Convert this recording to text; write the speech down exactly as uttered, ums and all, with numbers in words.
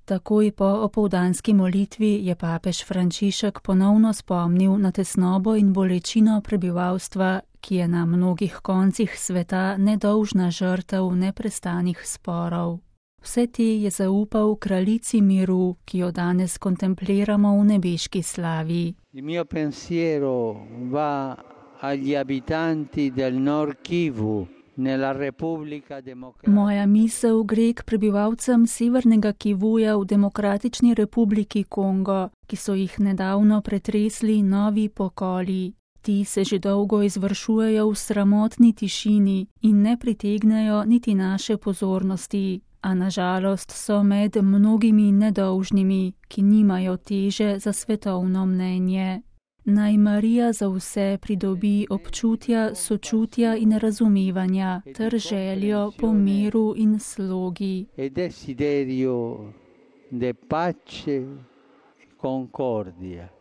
Takoj po opoldanski molitvi je papež Frančišek ponovno spomnil na tesnobo in bolečino prebivalstva, ki je na mnogih koncih sveta nedolžna žrtev neprestanih sporov. Vse te je zaupal kraljici miru, ki jo danes kontempliramo v nebeški slavi. Il mio pensiero va agli abitanti del Nord Kivu. Moja misel gre k prebivalcem severnega Kivuja v Demokratični republiki Kongo, ki so jih nedavno pretresli novi pokoli. Ti se že dolgo izvršujejo v sramotni tišini in ne pritegnejo niti naše pozornosti, a nažalost so med mnogimi nedolžnimi, ki nimajo teže za svetovno mnenje. Naj Marija za vse pridobi občutja, sočutja in razumevanja ter željo po miru in slogi. E desiderio de pace e concordia.